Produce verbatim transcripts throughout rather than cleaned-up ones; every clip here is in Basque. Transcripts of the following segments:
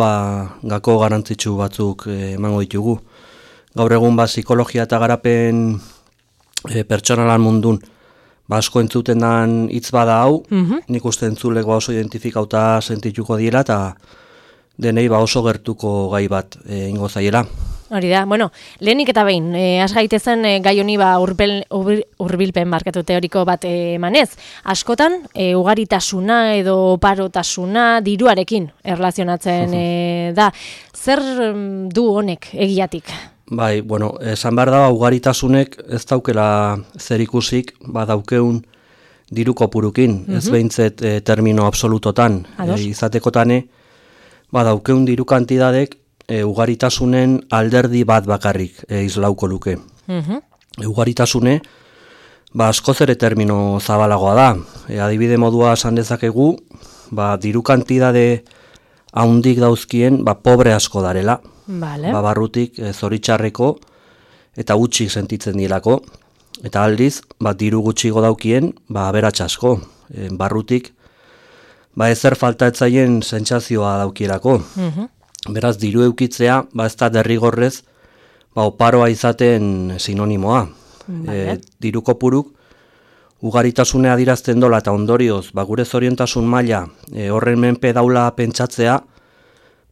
ba, gako garantzitsu batzuk eh, emango ditugu. Gaur egun ba, psikologia eta garapen e, pertsonalan mundun ba, asko entzuten dan hitz bada hau, mm-hmm. nik uste entzulek ba, oso identifikauta sentituko diela eta denei ba, oso gertuko gai bat e, ingo zaiela. Hori da, bueno, lehenik eta behin, eh, has gaitezen eh, gai honi ba, urbil, urbil, urbilpen markatu teoriko bat eh, emanez. Askotan, eh, ugaritasuna edo oparotasuna diruarekin erlazionatzen eh, da. Zer du honek egiatik? Bai, bueno, esan behar da, ugaritasunek ez daukela zer ikusik, ba daukeun diru kopurukin, mm-hmm. ez behintzet e, termino absolutotan, e, izatekotane, ba daukeun diru kantidadek e, ugaritasunen alderdi bat bakarrik e, izlauko luke. Mm-hmm. E, ugaritasune, ba askoz ere termino zabalagoa da, e, adibide modua esan dezakegu, ba diru kantidade haundik dauzkien, ba pobre asko darela. Vale. Ba, barrutik e, zoritxarreko eta gutxik sentitzen dilako. Eta aldiz, ba, diru gutxigo daukien, ba, aberatsa asko. E, barrutik, ba, ezer falta etzaien sentsazioa daukielako. Uh-huh. Beraz, diru eukitzea, ba, ez da derrigorrez, ba, oparoa izaten sinonimoa. Vale. E, diru kopuruk, ugaritasune adirazten dola eta ondorioz, ba, gure zoriontasun maila e, horren menpe daula pentsatzea,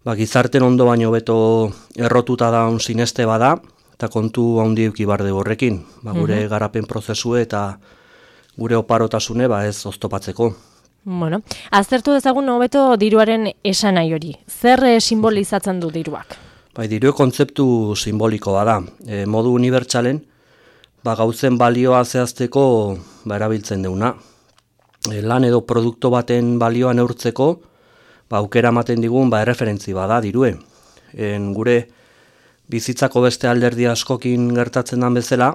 ba, gizarten ondo baino beto errotuta daun sineste bada, eta kontu handi euki barde horrekin, ba, gure mm-hmm. garapen prozesue eta gure oparotasune ba, ez oztopatzeko. Bueno, aztertu dezagun hobeto diruaren esanai hori. Zer e, simbolizatzen du diruak? Bai, diru kontzeptu simboliko bada. E, modu unibertsalen, ba, gauzen balioa zehazteko ba, erabiltzen deuna. E, lan edo produktu baten balioa neurtzeko, ba, aukera ematen digun ba, erreferentzi bada dirue. En, gure bizitzako beste alderdi askokin gertatzen den bezala,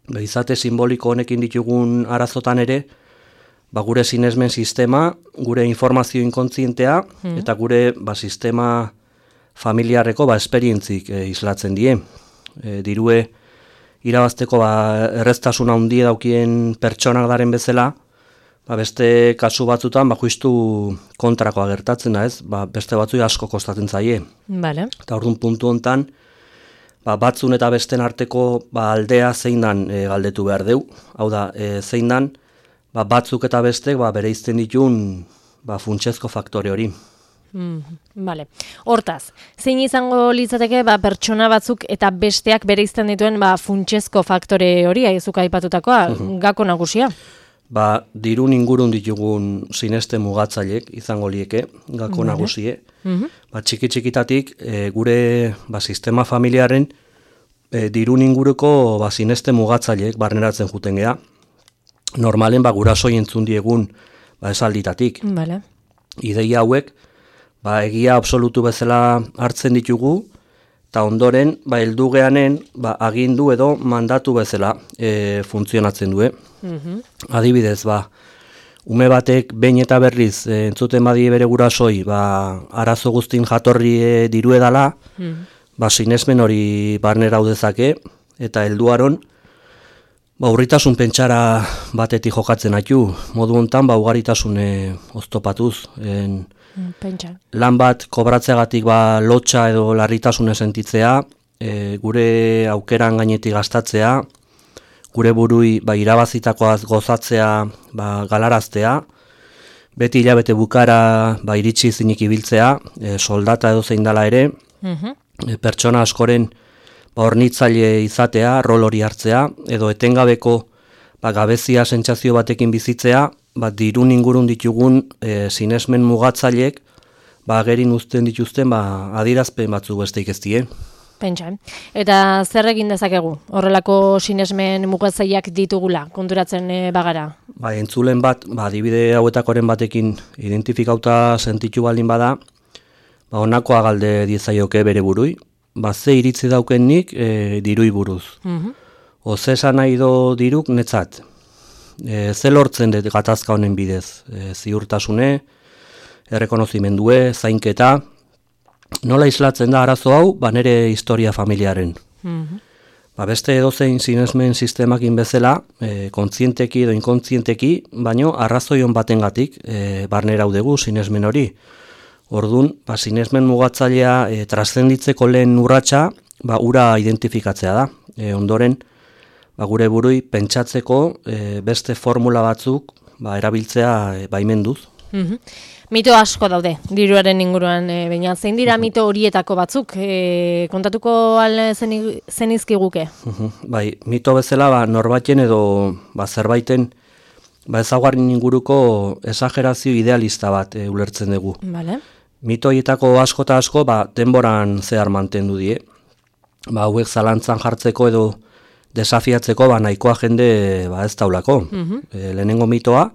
ba, izate simboliko honekin ditugun arazotan ere, ba, gure sinesmen sistema, gure informazio inkontzientea, mm. eta gure ba, sistema familiarreko ba, esperientzik e, islatzen die. E, dirue irabazteko ba, erreztasuna handie daukien pertsonak daren bezala, ba, beste kasu batzutan ba, justu kontrakoa gertatzen da, ez? Ba, beste batzui asko kostatzen zaie. Vale. Eta orduan puntu hontan, ba, batzun eta besten arteko ba, aldea zein dan e, galdetu behar deu. Hau da, e, zein dan ba, batzuk eta bestek ba, bereizten ditun ba, funtsezko faktore hori. Mm, vale. Hortaz, zein izango litzateke ba, pertsona batzuk eta besteak bereizten dituen ba, funtsezko faktore hori, aizuk aipatutakoa, uh-huh. gako nagusia? Ba, dirun ingurun ditugun sineste mugatzailek izango lieke, gako vale. Nagusie. Mm-hmm. Ba, txiki-txikitatik e, gure ba, sistema familiaren e, dirun inguruko ba, sineste mugatzailek barneratzen juten gea. Normalen ba, gurasoi entzun diegun ba, esalditatik. Vale. Ideia hauek ba, egia absolutu bezala hartzen ditugu, eta ondoren ba, heldu geanen ba, agindu edo mandatu bezala e, funtzionatzen du. Mm-hmm. Adibidez, ba, ume batek behin eta berriz e, entzuten badie bere gurasoi, ba, arazo guztin jatorri e, diru edala, mm-hmm. ba, sinesmen hori barnera dezake eta helduaron ba, urritasun pentsara batetik jokatzen haitu. Modu hontan ba, ugaritasune oztopatuz. En, Pentsa. Lan bat kobratzeagatik ba, lotxa edo larritasune sentitzea, e, gure aukeran gainetik gastatzea, gure burui ba, irabazitakoaz gozatzea ba, galaraztea, beti hilabete bukara ba, iritsi zinik ibiltzea, e, soldata edo zein dala ere, uh-huh. e, pertsona askoren ba, hornitzaile izatea, rol hori hartzea, edo etengabeko ba, gabezia sentsazio batekin bizitzea, ba, dirun ingurun ditugun e, sinesmen mugatzailek ba, gerin uzten dituzten ba, adirazpen batzu besteik ez die. Pentsa. Eta zer egin dezakegu? Horrelako sinesmen mugatzaileak ditugula, konturatzen e, bagara? Ba, entzulen bat, ba, adibide hauetakoren batekin identifikauta sentitu baldin bada, ba, honakoa galde diezaioke bere burui, ba, ze iritzi dauken nik e, dirui buruz. Uh-huh. O ze esan nahi do diruk netzat. E, ze lortzen dut gatazka honen bidez, e, ziurtasune, errekonozimendue, zainketa, nola islatzen da arazo hau, ba nere historia familiaren. Mm-hmm. Ba beste edozein sinesmen sistemakin bezala, e, kontzienteki edo inkontzienteki, baino arrazoion batengatik e, barnera udegu sinesmen hori. Ordun, ba, sinesmen mugatzailea e, traszenditzeko lehen urratsa, ba, ura identifikatzea da. E, ondoren, ba, gure burui pentsatzeko e, beste formula batzuk ba, erabiltzea e, baimenduz. Mm-hmm. Mito asko daude, diruaren inguruan, e, baina zein dira mito horietako batzuk, e, kontatuko al zenizkiguke? Uh-huh. Bai, mito bezala ba, norbaiten edo ba, zerbaiten ba, ezaugarri inguruko esagerazio idealista bat e, ulertzen dugu. Vale. Mito horietako asko eta asko ba, denboran zehar mantendu die. Ba, hauek zalantzan jartzeko edo desafiatzeko ba, nahikoa jende ba, ez taulako. Uh-huh. E, lehenengo mitoa,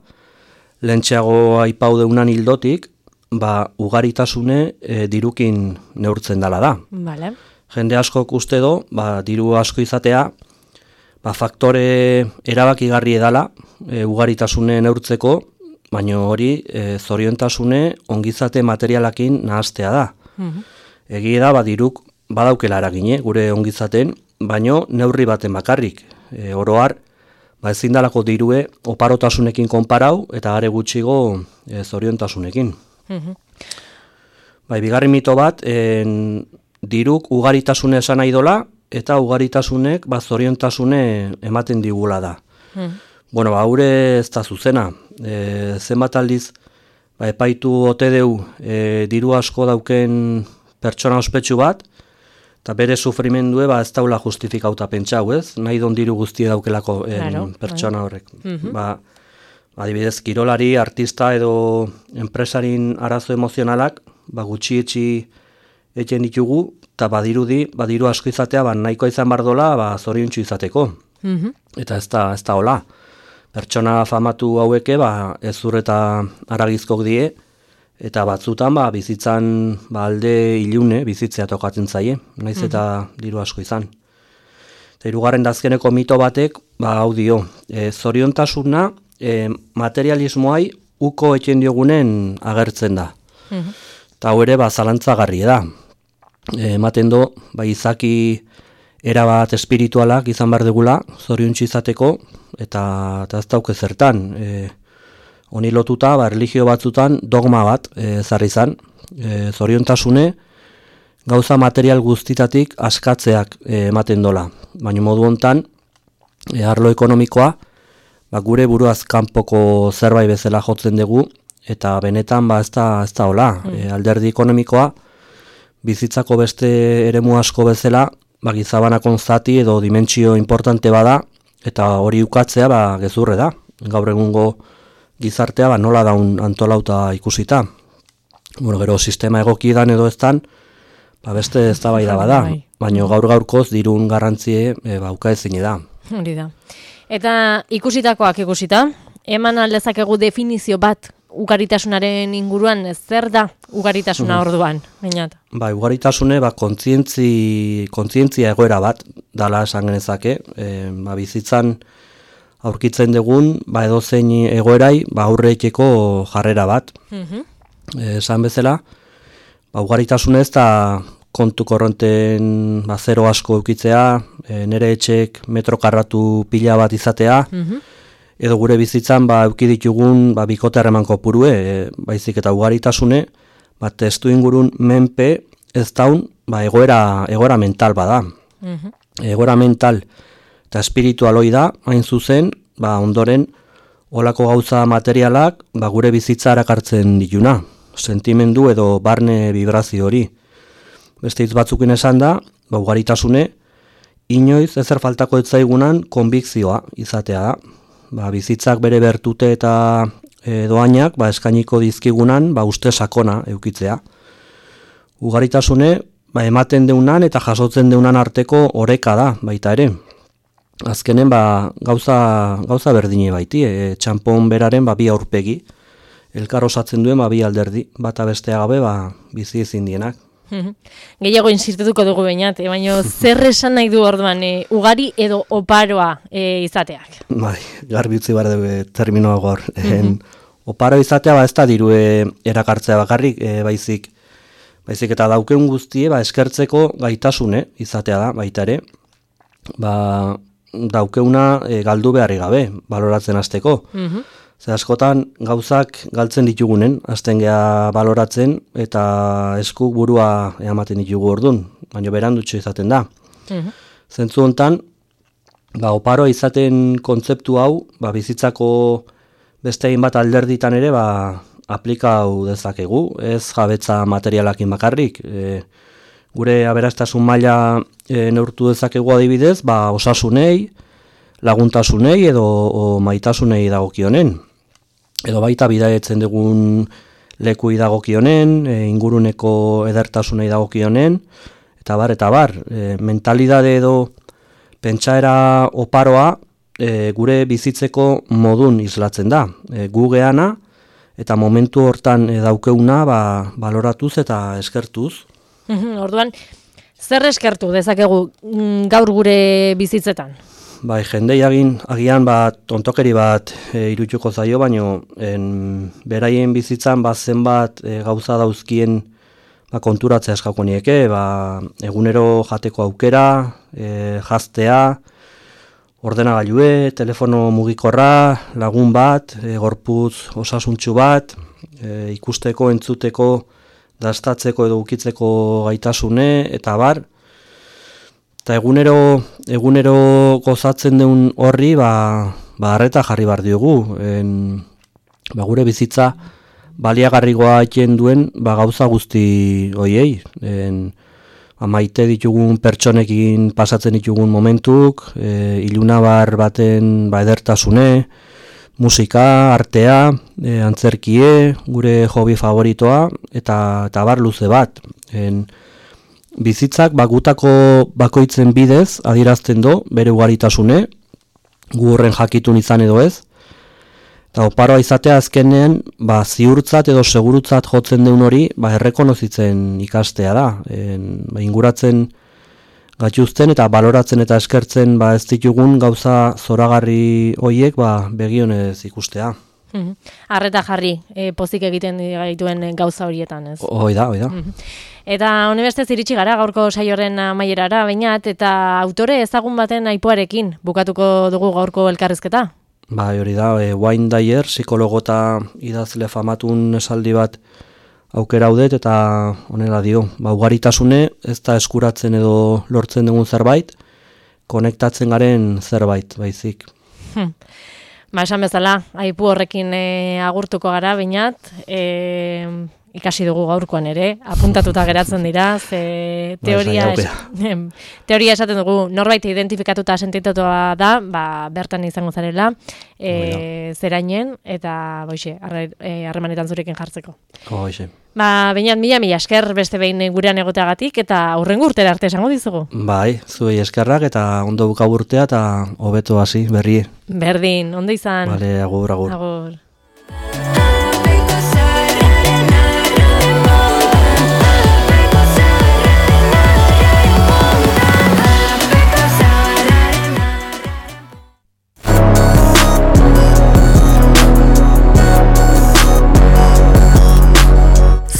lehentxeago aipau deunan hildotik, ba, ugaritasune e, dirukin neurtzen dela da. Vale. Jende askok uste do, ba, diru asko izatea, ba, faktore erabakigarri edala e, ugaritasune neurtzeko, baina hori e, zoriontasune ongizate materialakin nahastea da. Uh-huh. Egia da, ba, diruk badaukela eragine gure ongizaten, baino neurri baten bakarrik. E, oroar, ba, ezin dalako dirue oparotasunekin konparau eta are gutxigo e, zoriontasunekin. Uh-huh. Bai, bigarren mito bat, en, diruk ugaritasune esan nahi dola, eta ugaritasunek ba, zoriontasune ematen digula da. Uh-huh. Bueno, ba, haure ez da zuzena. E, zenbat aldiz, ba, epaitu ote deu e, diru asko dauken pertsona ospetsu bat, eta bere sufrimendue ba, ez daula justifikauta pentsau, ez? Nahi don diru guztie daukelako en, claro, pertsona horrek. Uh-huh. Ba, adibidez, kirolari, artista edo enpresarin arazo emozionalak, ba, gutxietxi eten ditugu, eta badirudi, badiru asko izatea, ba, nahikoa izan bardola, ba, zoriontsu izateko. Uh-huh. Eta ez da, ez da hola. Pertsona famatu haueke, ba, ezur eta aragizkok die, eta batzutan ba, bizitzan ba, alde ilune bizitzea tokatzen zaie, naiz eta diru asko izan. Eta hirugarren dazkeneko mito batek, ba, hau dio, e, zoriontasuna e, materialismoai uko eten diogunen agertzen da. Eta hau ere ba, zalantzagarri da. E, ematen do, ba, izaki erabat espiritualak izan behar degula, zoriontsu izateko, eta, eta ez dauke zertan. E, honi lotuta, ba, religio batzutan dogma bat e, zarri zan. E, zoriontasune, gauza material guztitatik askatzeak e, ematen dola. Baina modu hontan, e, arlo ekonomikoa, ba, gure buruaz kanpoko zerbait bezala jotzen dugu, eta benetan ba, ez da, ez da hola. Mm. E, alderdi ekonomikoa, bizitzako beste eremu asko bezala, ba, gizabanakon zati edo dimentsio importante bada, eta hori ukatzea ba, gezurre da. Gaur egungo gizartea ba, nola daun antolauta ikusita. Bueno, gero sistema egokietan edo eztan, ba, beste eztabaida bada, baina gaur gaurkoz dirun garrantzie e, ba, uka ezin da. Hori da. Eta ikusitakoak ikusita, eman aldezakegu definizio bat ugaritasunaren inguruan, zer da ugaritasuna orduan? Bainat. Ba, ugaritasune ba, kontzientzi, kontzientzia egoera bat dala esan genezake. E, ba, bizitzan aurkitzen dugun ba, edozein egoerai ba, aurreikeko jarrera bat. Uh-huh. E, esan bezala, ba, ugaritasune ez da kontu korronten ba, zero asko eukitzea, e, nere etxek metro karratu pila bat izatea, uh-huh. edo gure bizitzan ba eduki ditugun ba bikote harreman kopurue, e, baizik eta ugaritasune, ba testu ingurun menpe ez daun ba egoera egoera mental bada. Uh-huh. Egoera mental eta espiritual hoi da, hain zuzen, ba ondoren olako gauza materialak ba gure bizitza erakartzen dituna, sentimendu edo barne vibrazio hori. Beste hitz batzukin esan da, ba ugaritasune inoiz ezer faltako ez zaigunan konbikzioa izatea da. Ba, bizitzak bere bertute eta e, doainak ba, eskainiko dizkigunan ba, uste sakona eukitzea. Ugaritasune ba, ematen deunan eta jasotzen deunan arteko oreka da baita ere. Azkenen ba, gauza, gauza berdine baiti, e, txanpon beraren ba, bi aurpegi. Elkar osatzen duen ba, bi alderdi, bata bestea gabe ba, bizi ezin dienak. Gehiago insistituko dugu bainat, eh? Baina zer esan nahi du orduan, e, ugari edo oparoa e, izateak? Bai, garbi utzi behar dugu terminoa gor. Uh-huh. Oparo izatea ba ez da dirue erakartzea bakarrik, e, baizik, baizik eta daukeun guztie ba, eskertzeko gaitasune izatea da, baita ere, ba, daukeuna e, galdu beharri gabe, baloratzen hasteko. Uh-huh. Ze askotan gauzak galtzen ditugunen, hasten geha baloratzen eta eskuk burua ematen ditugu ordun, baina berandutxo izaten da. Uh-huh. Zentzu hontan, ba, oparoa izaten kontzeptu hau, ba, bizitzako beste egin bat alderditan ere, ba, aplikau dezakegu, ez jabetza materialakin bakarrik. E, gure aberastasun maila e, neurtu dezakegu adibidez, ba, osasunei, laguntasunei edo o, maitasunei dagokionen. Edo baita bidaietzen dugun lekui dagokionen, e, inguruneko edertasunei dagokionen, eta bar, eta bar, e, mentalidade edo pentsaera oparoa e, gure bizitzeko modun islatzen da. E, gu geana eta momentu hortan e, daukeuna ba, baloratuz eta eskertuz. Orduan, zer eskertu dezakegu gaur gure bizitzetan? Bai, jendei agin, agian bat tontokeri bat e, irutxuko zaio, baino en, beraien bizitzan bat zenbat e, gauza dauzkien ba, konturatzea eskako nieke, ba, egunero jateko aukera, e, jaztea, ordenagailue, telefono mugikorra, lagun bat, e, gorputz osasuntsu bat, e, ikusteko, entzuteko, dastatzeko edo ukitzeko gaitasune, eta bar, eta egunero, egunero gozatzen duen horri, ba, ba arreta jarri bar diogu. En, ba, gure bizitza baliagarrigoa eten duen ba, gauza guzti hoiei. En, ba, maite ditugun pertsonekin pasatzen ditugun momentuk, e, ilunabar baten ba, edertasune, musika, artea, e, antzerkie, gure hobi favoritoa, eta, eta bar luze bat. En, bizitzak bagutako bakoitzen bidez adierazten do, bere ugaritasune, gu horren jakitun izan edo ez, eta oparoa izatea azkenean ba, ziurtzat edo segurutzat jotzen deun hori ba, errekonozitzen ikastea da. En, ba, inguratzen gatuzten eta baloratzen eta eskertzen ba, ez ditugun gauza zoragarri hoiek ba, begionez ikustea. Arreta jarri, e, pozik egiten gaituen gauza horietan, ez? Hoi da, hoi da. Eta honebestez iritsi gara gaurko saioaren amaierara, bainat, eta autore ezagun baten aipuarekin bukatuko dugu gaurko elkarrizketa? Ba, hori da, e, Wayne Dyer, psikologo eta idazle famatun esaldi bat aukera haudet, eta honela dio, ba, ugaritasune ez da eskuratzen edo lortzen dugun zerbait, konektatzen garen zerbait, baizik. Hmm. Ba, esan bezala, aipu horrekin e, agurtuko gara, bainat, e, ikasi dugu gaurkoan ere, apuntatuta geratzen dira, ze teoria, es, teoria esaten dugu, norbait identifikatuta sentitutua da, ba, bertan izango zarela, e, zerainen, eta boixe, harremanetan zurekin jartzeko. Boixe. Ba, bainat, mila mila esker beste behin gurean egoteagatik, eta hurrengo urtera arte esango dizugu. Bai, zuei eskerrak, eta ondo buka urtea, eta hobeto hasi berrie. Berdin, ondo izan. Vale, agur, agur. Agur.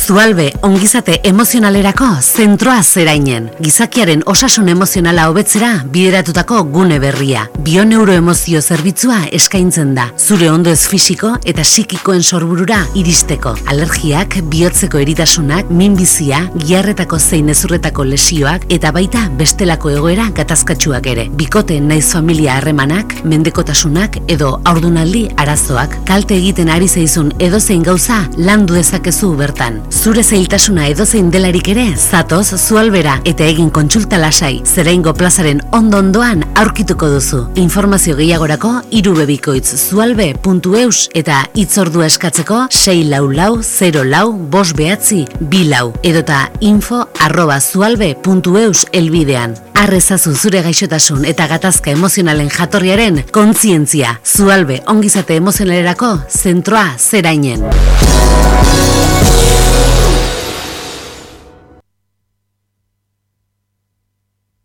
Zualbe ongizate emozionalerako zentroa zerainen. Gizakiaren osasun emozionala hobetzera bideratutako gune berria. Bioneuroemozio zerbitzua eskaintzen da. Zure ondoez fisiko eta psikikoen sorburura iristeko. Alergiak, bihotzeko eritasunak, minbizia, giharretako zein ezurretako lesioak eta baita bestelako egoera gatazkatsuak ere. Bikote naiz familia harremanak, mendekotasunak edo haurdunaldi arazoak. Kalte egiten ari zaizun edozein gauza landu dezakezu bertan. Zure zailtasuna edozein delarik ere, zatoz Zualbera eta egin kontsulta lasai, Zeraingo plazaren ondo-ondoan aurkituko duzu. Informazio gehiagorako irubebikoitz zualbe puntu eus eta hitzordua eskatzeko sei lau lau zero lau bost behatzi bi lau edota info arroba zualbe puntu eus elbidean. Arrezazu zure gaixotasun eta gatazka emozionalen jatorriaren kontzientzia. Zualbe ongizate emozionalerako zentroa Zerainen.